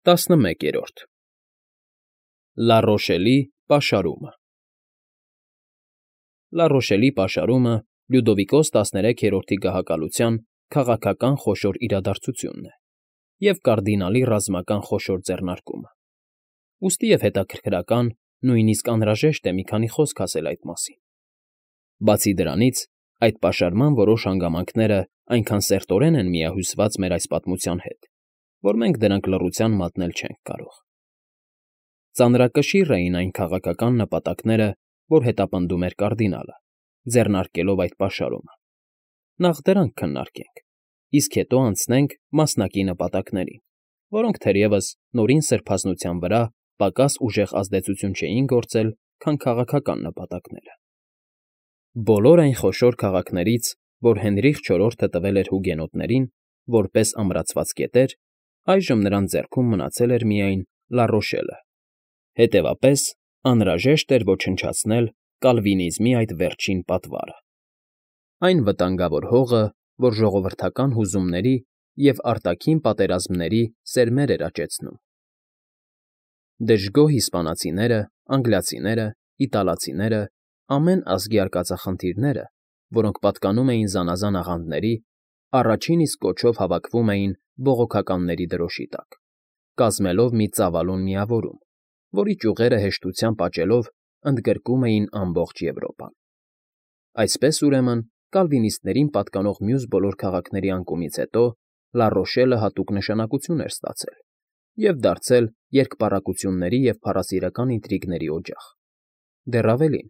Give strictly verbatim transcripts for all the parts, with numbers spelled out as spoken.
տասնմեկերորդ Լառոշելի պաշարումը Լառոշելի պաշարումը Լյուդովիկոս տասներեքերորդի գահակալության քաղաքական խոշոր իրադարձությունն է և կարդինալի ռազմական խոշոր ձեռնարկումը, ուստի և հետաքրքրական, նույնիսկ անհրաժեշտ է մի քանի խոսք ասել այդ մասին. բացի դրանից, այդ պաշարման որոշ հանգամանքները այնքան սերտորեն են միահյուսված մեր այս պատմության հետ, որ մենք դրանք լռության մատնել չենք կարող։ Ծանրակշիռ էին այն քաղաքական նպատակները, որ հետապնդում էր կարդինալը, ձեռնարկելով այդ պաշարումը։ Նախ դրանք քննարկենք, իսկ հետո անցնենք մասնակի նպատակներին, որոնք թերևս նորին սրբազնության վրա պակաս ուժեղ ազդեցություն չէին գործել, քան քաղաքական նպատակները։ Բոլոր այն խոշոր քաղաքներից, որ Հենրիխ չորրորդը տվել էր հուգենոտներին, որպես ամրացված կետեր, այժմ նրանց ձեռքում մնացել էր միայն Լառոշելը, հետևապես անհրաժեշտ էր ոչնչացնել կալվինիզմի այդ վերջին պատվարը, այն վտանգավոր հողը, որ ժողովրդական հուզումների և արտաքին պատերազմների սերմեր էր աճեցնում։ Դժգոհ իսպանացիները, անգլիացիները, իտալացիները, ամեն ազգի արկածախնդիրները, որոնք պատկանում էին զանազան աղանդների, առաջին իսկ կոչով հավաքվում էին բողոքականների դրոշի տակ, կազմելով մի ծավալուն միավորում, որի ճյուղերը հեշտությամբ աճելով ընդգրկում էին ամբողջ Եվրոպան։ Այսպես, ուրեմն, կալվինիստներին պատկանող մյուս բոլոր քաղաքների անկումից հետո Լառոշելը հատուկ նշանակություն էր ստացել և դարձել երկպառակտությունների և փառասիրական ինտրիգների օջախ։ Դեռ ավելին,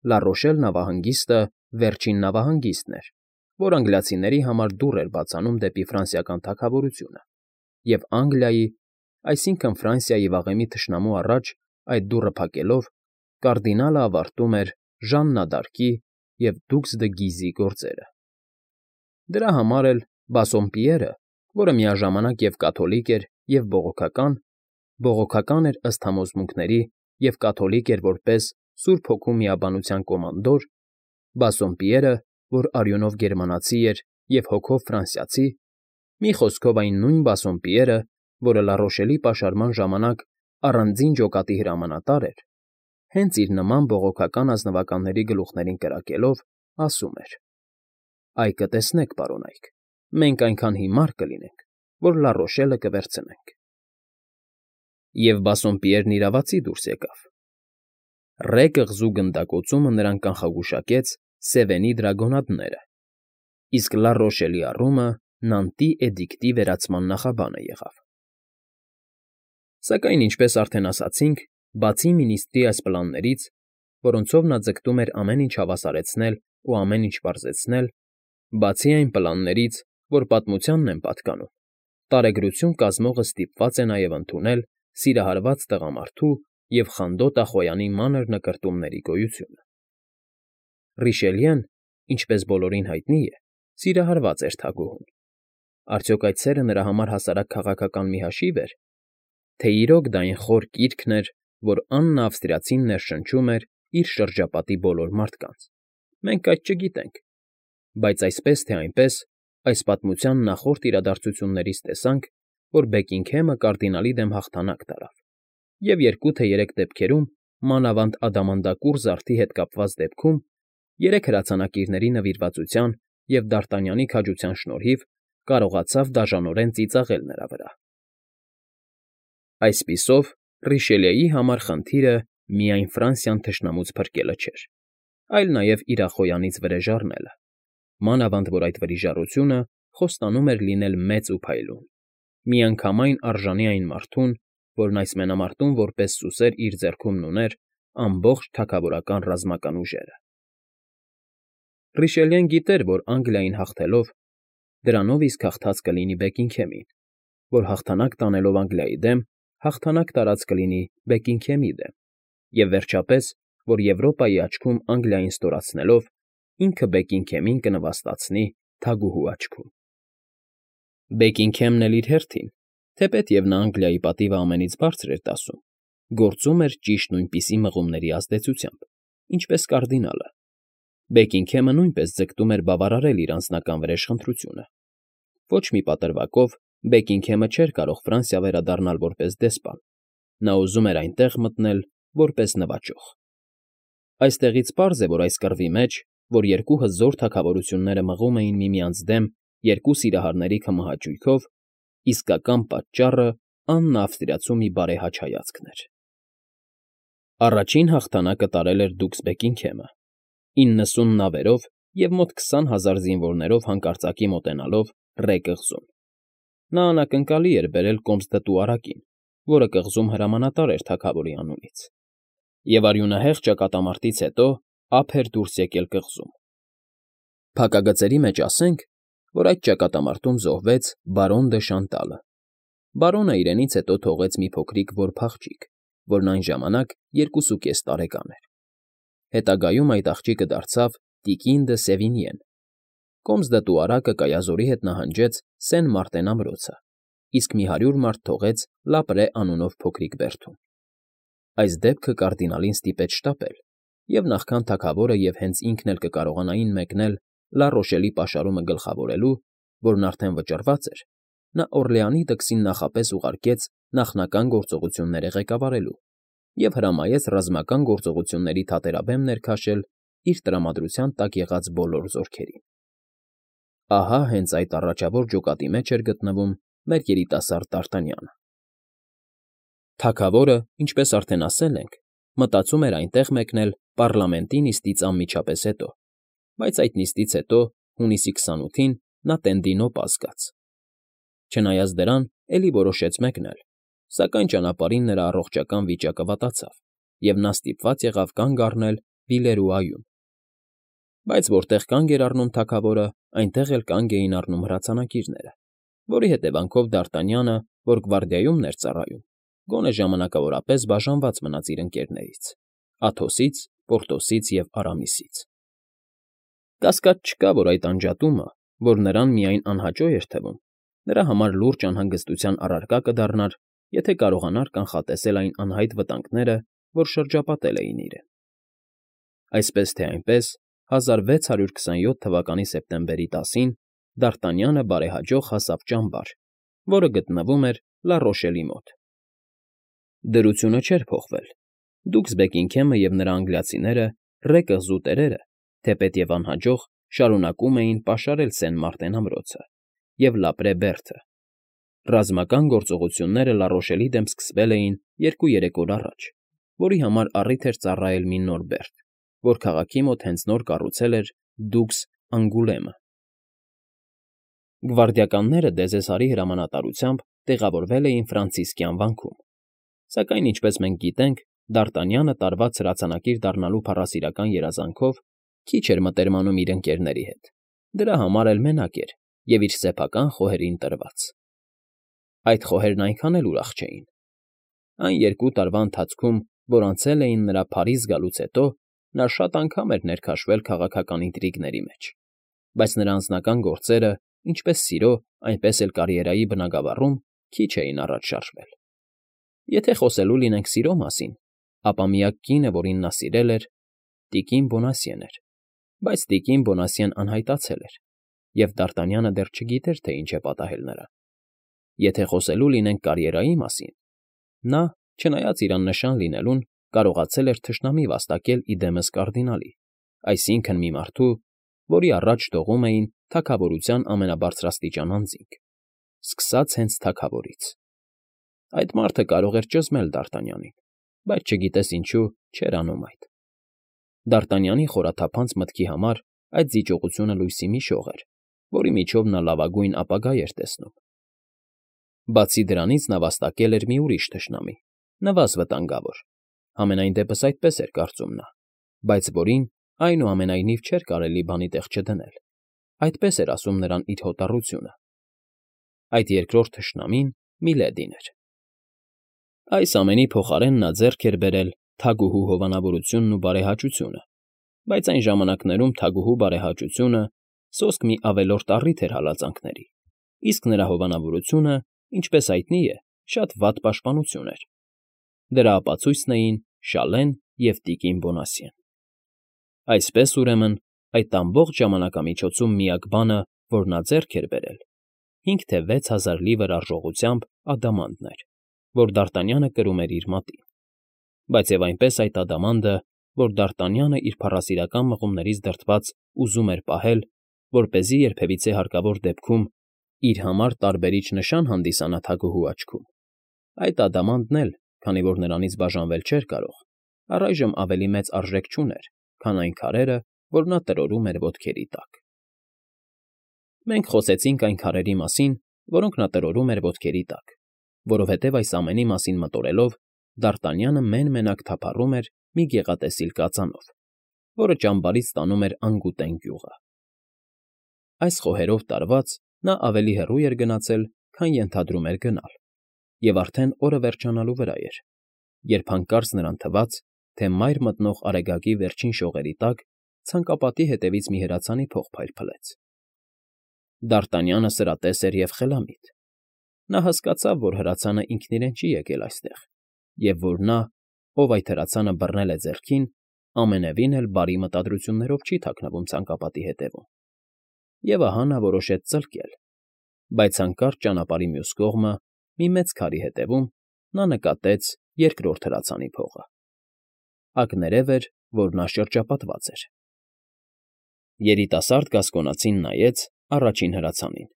Լառոշել նավահանգիստը վերջին նավահանգիստն էր, որ անգլիացիների համար դուռ էր բացանում դեպի ֆրանսիական թագավորությունը, և Անգլիայի, այսինքն Ֆրանսիայի վաղեմի թշնամու առաջ այդ դուռը փակելով, կարդինալը ավարտում էր Ժաննա դ'Արկի և Դուքս դը Գիզի գործերը։ Դրա համար էլ Բասսոմպիերը, որը միաժամանակ և կաթոլիկ էր, և բողոքական, բողոքական էր ըստ համոզմունքների և կաթոլիկ էր որպես Սուրբ Հոգու միաբանության կոմանդոր, Բասսոմպիերը, որ արյունով գերմանացի էր և հոգով ֆրանսիացի, մի խոսքով այն նույն Բասսոմպիերը, որը Լառոշելի պաշարման ժամանակ առանձին ջոկատի հրամանատար էր, հենց իր նման բողոքական ազնվականների գլուխներին կրակելով, ասում էր. «Այ կտեսնեք, պարոնայք, մենք այնքան հիմար կլինենք, որ Լառոշելը կվերցնենք»։ Եվ Բասսոմպիերն իրավացի դուրս եկավ։ Ռե կղզու գնդակոծումը նրան կանխագուշակեց Սևենի դրագոնադները, իսկ Լառոշելի առումը Նանտի էդիկտի վերացման նախաբանը եղավ։ Սակայն, ինչպես արդեն ասացինք, բացի մինիստրի այս պլաններից, որոնցով նա ձգտում էր ամեն ինչ հավասարեցնել ու ամեն ինչ պարզեցնել, բացի այն պլաններից, որ պատմությանն են պատկանում, տարեգրություն կազմողը ստիպված է նաև ընդունել սիրահարված տղամարդու և խանդոտ ախոյանի մանր նկրտումների գոյությունը։ Ռիշելյեն, ինչպես բոլորին հայտնի է, սիրահարված էր թագուհուն։ Արդյոք այդ սերը նրա համար հասարակ քաղաքական մի հաշիվ էր, թե իրոք դա այն խոր կիրքն էր, որ Աննա Ավստրիացին ներշնչում էր իր շրջապատի բոլոր մարդկանց, մենք այդ չգիտենք, բայց այսպես թե այնպես, այս պատմության նախորդ իրադարձություններից տեսանք, որ Բեքինգհեմը կարդինալի դեմ հաղթանակ տարավ, և երկու թե երեք դեպքերում, մանավանդ ադամանդակուռ զարդի հետ կապված դեպքում, երեք հրացանակիրների նվիրվածության և Դ'Արտանյանի քաջության շնորհիվ կարողացավ դաժանորեն ծիծաղել նրա վրա։ Այսպիսով, Ռիշելիեի համար խնդիրը միայն Ֆրանսիան թշնամուց փրկելը չէր, այլ նաև իր ախոյանից վրեժ առնելը, մանավանդ որ այդ վրիժառությունը խոստանում էր լինել մեծ ու փայլուն, միանգամայն արժանի այն մարդուն, որն այս մենամարտում որպես սուսեր իր ձեռքումն ուներ ամբողջ թագավորական ռազմական ուժերը։ Ռիշելիեն գիտեր, որ Անգլիային հաղթելով, դրանով իսկ հաղթած կլինի Բեքինգհեմին, որ հաղթանակ տանելով Անգլիայի դեմ, հաղթանակ տարած կլինի Բեքինգհեմի դեմ, և վերջապես, որ Եվրոպայի աչքում Անգլիային ստորացնելով, ինքը Բեքինգհեմին կնվաստացնի թագուհու աչքում։ Բեքինգհեմն էլ իր հերթին, թեպետև նա Անգլիայի պատիվը ամենից բարձր էր դասում, գործում էր ճիշտ նույնպիսի մղումների ազդեցությամբ, ինչպես կարդինալը։ Բեքինգհեմը նույնպես ձգտում էր բավարարել իր անձնական վրեժխնդրությունը, ոչ մի պատրվակով Բեքինգհեմը չէր կարող Ֆրանսիա վերադառնալ որպես դեսպան, նա ուզում էր այնտեղ մտնել որպես նվաճող։ Այստեղից պարզ է, որ այս կռվի մեջ, որ երկու հզոր թագավորությունները մղում էին միմյանց դեմ երկու սիրահարների քմահաճույքով, իսկական պատճառը աննավստրիացու մի բարեհաճ հայացքն էր։ Առաջին հաղթանակը տարել էր դուքս Բեքինգհեմը, իննսուն նավերով և մոտ քսան հազար զինվորներով հանկարծակի մոտենալով Ռե կղզուն։ Նա անակնկալի էր բերել կոմս֊դտու֊արակին, որը կղզում հրամանատար էր թագավորի անունից, և արյունահեղ ճակատամարտից հետո ափ էր դուրս եկել կղզում։ Փակագծերի մեջ ասենք, որ այդ ճակատամարտում զոհվեց բարոն դը Շանտալը։ Բարոնը իրենից հետո թողեց մի փոքրիկ որբ աղջիկ, որն այն ժամանակ երկուսուկես տարեկան էր։ Հետագայում այդ աղջիկը դարձավ տիկին դը Սևինյեն։ Կոմս֊դտու֊արակը Կայազորի հետ նահանջեց Սեն Մարտեն ամրոցը, իսկ մի հարյուր մարդ թողեց Լապրե անունով փոքրիկ բերդում։ Այս դեպքը կարդինալին ստիպեց շտապել, և նախքան թագավորը և հենց ինքն էլ կկարողանային մեկնել Լա Ռոշելի պաշարումը գլխավորելու, որն արդեն վճռված էր, նա Օռլեանի դքսին նախապես ուղարկեց նախնական գործողությունները ղեկավարելու և հրամայեց ռազմական գործողությունների թատերաբեմ ներքաշել իր տրամադրության տակ եղած բոլոր զորքերին։ Ահա հենց այդ առաջավոր ջոկատի մեջ էր գտնվում մեր երիտասարդ Դարտանյանը։ Թագավորը, ինչպես արդեն ասել ենք, մտածում էր այնտեղ մեկնել պառլամենտի նիստից անմիջապես հետո, բայց այդ նիստից հետո, հունիսի քսանութին նա Տենդինոպ ազգաց։ Չնայած դրան, էլի որոշեց մեկնել, սակայն ճանապարհին նրա առողջական վիճակը վատացավ, և նա ստիպված եղավ կանգ առնել Բիլերուայում։ Բայց որտեղ կանգ էր առնում թագավորը, այնտեղ էլ կանգ էին առնում հրացանակիրները, որի հետևանքով Դարտանյանը, որ գվարդիայումն էր ծառայում, գոնե ժամանակավորապես բաժանված մնաց իր ընկերներից՝ Աթոսից, Պորտոսից և Արամիսից։ Կասկած չկա, որ այդ անջատումը, որ նրան միայն անհաճո էր թվում, նրա համար լուրջ անհանգստության առարկա կդառնար, եթե կարողանար կանխատեսել այն անհայտ վտանգները, որ շրջապատել էին իրեն։ Այսպես թե այնպես, հազար վեց հարյուր քսանյոթ թվականի սեպտեմբերի տասին Դարտանյանը բարեհաջող հասավ ճամբար, որը գտնվում էր Լա Ռոշելի մոտ։ Դրությունը չէր փոխվել։ Դուքս Բեքինգհեմը և նրա անգլիացիները, Ռե կղզու տերերը, թեպետև անհաջող, շարունակում էին պաշարել Սեն Մարտեն ամրոցը և Լապրե բերդը։ Ռազմական գործողությունները Լա Ռոշելի դեմ սկսվել էին երկու֊երեք օր առաջ, որի համար առիթ էր ծառայել մի նոր բերդ, որ քաղաքի մոտ հենց նոր կառուցել էր դուքս Անգուլեմը։ Գվարդիականները Դեզեսարի հրամանատարությամբ տեղավորվել էին Ֆրանցիսկյան վանքում, սակայն, ինչպես մենք գիտենք, Դարտանյանը տարված հրացանակիր դառնալու փառասիրական երազանքով քիչ էր մտերմանում իր ընկերների հետ, դրա համար էլ մենակ էր և իր սեփական խոհերին տրված։ Այդ խոհերն այնքան էլ ուրախ չէին։ Այն երկու տարվա ընթացքում, որ անցել էին նրա Փարիզ գալուց հետո, նա շատ անգամ էր ներքաշվել քաղաքական ինտրիգների մեջ, բայց նրա անձնական գործերը, ինչպես սիրո, այնպես էլ կարիերայի բնագավառում քիչ էին առաջ շարժվել։ Եթե խոսելու լինենք սիրո մասին, ապա միակ կինը, որին նա սիրել էր, տիկին Բոնասիեն էր, բայց տիկին Բոնասիեն անհայտացել էր, և Դարտանյանը դեռ չգիտեր, թե ինչ է պատահել նրան։ Եթե խոսելու լինենք կարիերայի մասին, նա, չնայած իր աննշան լինելուն, կարողացել էր թշնամի վաստակել ի դեմս կարդինալի, այսինքն՝ մի մարդու, որի առաջ տեղում էին թագավորության ամենաբարձրաստիճան անձինք, սկսած հենց թագավորից։ Այդ մարդը կարող էր ճզմել Դարտանյանին, բայց չգիտես ինչու չէր անում այդ։ Դարտանյանի խորաթափանց մտքի համար այդ զիջողությունը լույսի մի շող էր, որի միջով նա լավագույն ապագա էր տեսնում։ Բացի դրանից նա վաստակել էր մի ուրիշ թշնամի, նվազ վտանգավոր, համենայն դեպս այդպես էր կարծում նա, բայց որին, այնուամենայնիվ, չէր կարելի բանի տեղ չդնել, այդպես էր ասում նրան իր հոտառությունը։ Այդ երկրորդ թշնամին Միլեդին էր։ Այս ամենի փոխարեն նա ձեռք էր բերել թագուհու հովանավորությունն ու բարեհաճությունը, բայց այն ժամանակներում թագուհու բարեհաճությունը սոսկ մի ավելորդ առիթ էր հալածանքների, իսկ նրա հովանավորությունը, ինչպես հայտնի է, շատ վատ պաշտպանություն էր։ Դրա ապացույցն էին Շալեն և տիկին Բոնասիեն։ Այսպես, ուրեմն, այդ ամբողջ ժամանակամիջոցում միակ բանը, որ նա ձեռք էր բերել, հինգ թե վեց հազար լիվր արժողությամբ ադամանդներ, որ Դարտանյանը կրում էր իր մատին, բայց և այնպես այդ ադամանդը, որ Դարտանյանը իր փառասիրական մղումներից դրդված ուզում էր պահել, որպեսզի երբևիցե հարկավոր դեպքում իր համար տարբերիչ նշան հանդիսանա թագուհու աչքում, այդ ադամանդն էլ, քանի որ նրանից բաժանվել չէր կարող, առայժմ ավելի մեծ արժեք չուներ, քան այն քարերը, որ նա տրորում էր ոտքերի տակ։ Մենք խոսեցինք այն քարերի մասին, որոնք նա տրորում էր ոտքերի տակ, որովհետև այս ամենի մասին մտորելով Դարտանյանը մեն֊մենակ թափառում էր մի գեղատեսիլ կածանով, որը ճամբարից տանում էր Անգուտեն գյուղը։ Այս խոհերով տարված նա ավելի հեռու էր գնացել, քան ենթադրում էր գնալ, և արդեն օրը վերջանալու վրա էր, երբ հանկարծ նրան թվաց, թե մայր մտնող արեգակի վերջին շողերի տակ ցանկապատի հետևից մի հրացանի փող փայլփլեց։ Դարտանյանը սրատես էր և խելամիտ։ Նա հասկացավ, որ հրացանը ինքն իրեն չի եկել այստեղ, և որ նա, ով այդ հրացանը բռնել է ձեռքին, ամենևին էլ բարի մտադրություններով չի թաքնվում ցանկապատի հետևում։ Եվ ահա նա որոշեց ծլկել, բայց հանկարծ ճանապարհի մյուս կողմը, մի մեծ քարի հետևում, նա նկատեց երկրորդ հրացանի փողը։ Ակներև էր, որ նա շրջապատված էր։ Երիտասարդ գասկոնացին նայեց առաջին հրացանին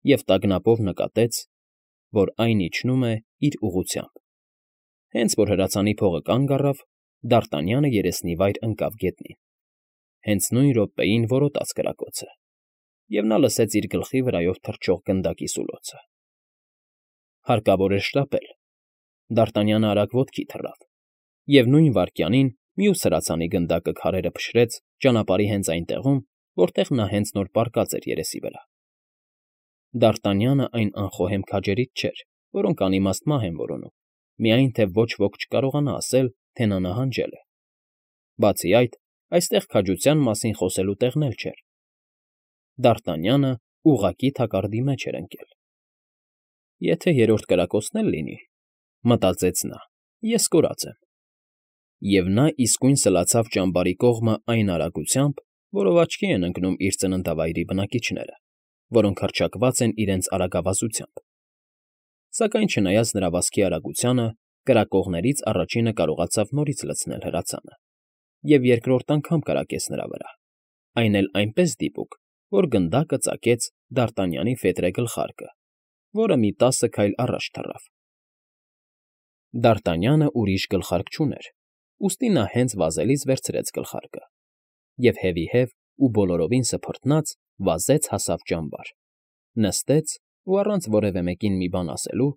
և տագնապով նկատեց, որ այն իջնում է իր ուղղությամբ։ Հենց որ հրացանի փողը կանգ առավ, Դարտանյանը երեսնիվայր ընկավ գետնին։ Հենց նույն րոպեին որոտաց կրակոցը, և նա լսեց իր գլխի վրայով թռչող գնդակի սուլոցը։ Հարկավոր էր շտապել։ Դարտանյանը արագ ոտքի թռավ, և նույն վայրկյանին մյուս հրացանի գնդակը քարերը փշրեց ճանապարհի հենց այն տեղում, որտեղ նա հենց նոր պառկած էր երեսի վրա։ Դարտանյանը այն անխոհեմ քաջերից չէր, որոնք անիմաստ մահ են որոնում, միայն թե ոչ ոք չկարողանա ասել, թե նա նահանջել է։ Բացի այդ, այստեղ քաջության մասին խոսելու տեղն էլ չէր։ Դարտանյանը ուղղակի թակարդի մեջ էր ընկել։ «Եթե երրորդ կրակոցն էլ լինի,֊ մտածեց նա,֊ ես կորած եմ»։ Եվ նա իսկույն սլացավ ճամբարի կողմը այն արագությամբ, որով աչքի են ընկնում իր ծննդավայրի բնակիչները, որոնք հռչակված են իրենց արագավազությամբ։ Սակայն չնայած նրա վազքի արագությանը, կրակողներից առաջինը կարողացավ նորից լցնել հրացանը, և երկրորդ անգամ կրակեց նրա վրա, այն էլ այնպես դիպուկ, որ գնդակը ծակեց Դարտանյանի ֆետրե գլխարկը, որը մի տասը քայլ առաջ թռավ։ Դարտանյանը ուրիշ գլխարկ չուներ, ուստի նա հենց վազելիս վերցրեց գլխարկը և հևիհև ու բոլորովին սփռտնաց վազեց հասավ ճամբար, նստեց ու առանց որևէ մեկին մի բան ասելու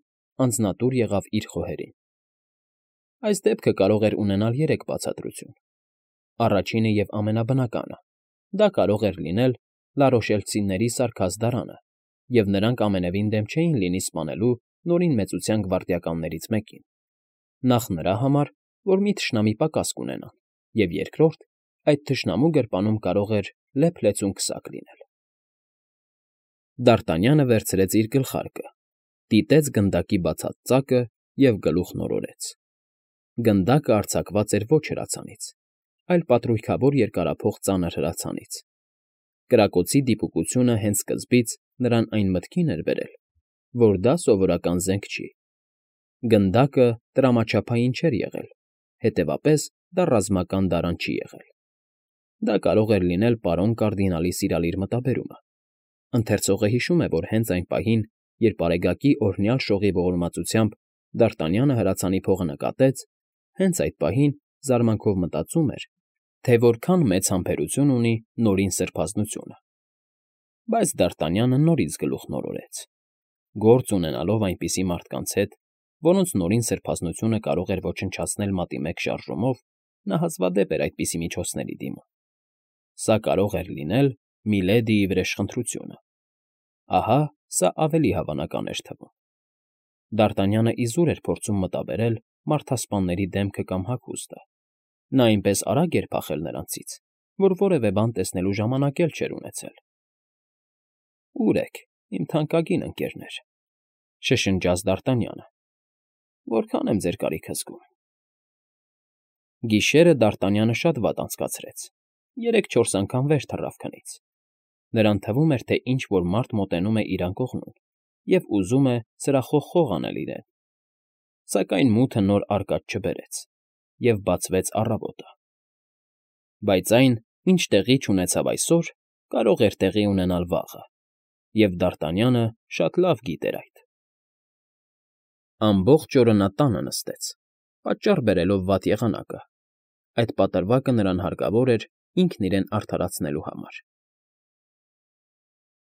անձնատուր եղավ իր խոհերին։ Այս դեպքը կարող էր ունենալ երեք բացատրություն։ Առաջինը և ամենաբնականը. դա կարող էր լինել լարոշելցիների սարքած դարանը, և նրանք ամենևին դեմ չէին լինի սպանելու Նորին Մեծության գվարդիականներից մեկին, նախ նրա համար, որ մի թշնամի պակաս կունենան, և երկրորդ, այդ թշնամու գրպանում կարող էր լեփ֊լեցուն քսակ լինել։ Դարտանյանը վերցրեց իր գլխարկը, դիտեց գնդակի բացած ծակը և գլուխն օրորեց։ Գնդակը արձակված էր ոչ հրացանից, այլ պատրույգավոր երկարափող ծանր հրացանից։ Կրակոցի դիպուկությունը հենց սկզբից նրան այն մտքին էր բերել, որ դա սովորական զենք չի։ Գնդակը տրամաչափային չէր եղել, հետևապես դա ռազմական դարան չի եղել։ Դա կարող էր լինել պարոն կարդինալի սիրալիր մտաբերումը։ Ընթերցողը հիշում է, որ հենց այն պահին, երբ արեգակի օրհնյալ շողի ողորմածությամբ Դարտանյանը հրացանի փողը նկատեց, հենց այդ պահին զարմանքով մտածում էր, թե որքան մեծ համբերություն ունի Նորին Սրբազնությունը։ Բայց Դարտանյանը նորից գլուխն օրորեց։ Գործ ունենալով այնպիսի մարդկանց հետ, որոնց Նորին Սրբազնությունը կարող էր ոչնչացնել մատի մեկ շարժումով, նա հազվադեպ էր այդպիսի միջոցների դիմում։ Սա կարող էր լինել Միլեդիի վրեժխնդրությունը։ Ահա սա ավելի հավանական էր թվում։ Դարտանյանը իզուր էր փորձում մտաբերել մարդասպանների դեմքը կամ հագուստը։ Նա այնպես արագ էր փախել նրանցից, որ որևէ բան տեսնելու ժամանակ էլ չէր ունեցել։ «Ո՞ւր եք, իմ թանկագին ընկերներ,֊ շշնջաց Դարտանյանը,֊ որքան եմ ձեր կարիքը զգում»։ Գիշերը Դարտանյանը շատ վատ անցկացրեց, երեք֊չորս անգամ վեր թռավ քնից։ Նրան թվում էր, թե ինչ֊որ մարդ մոտենում է իրան կողմում, և ուզում է սրախոխող անել իրեն, սակայն մութը նոր արկած չբերեց, և բացվեց առավոտը։ Բայց այն, ինչ տեղի չունեցավ այսօր, կարող էր տեղի ունենալ վաղը, և Դարտանյանը շատ լավ գիտեր այդ։ Ամբողջ օրը նա տանը նստեց, պատճառ բերելով վատ եղանակը. այդ պատրվակը նրան հարկավոր էր ինքն իրեն արդարացնելու համար։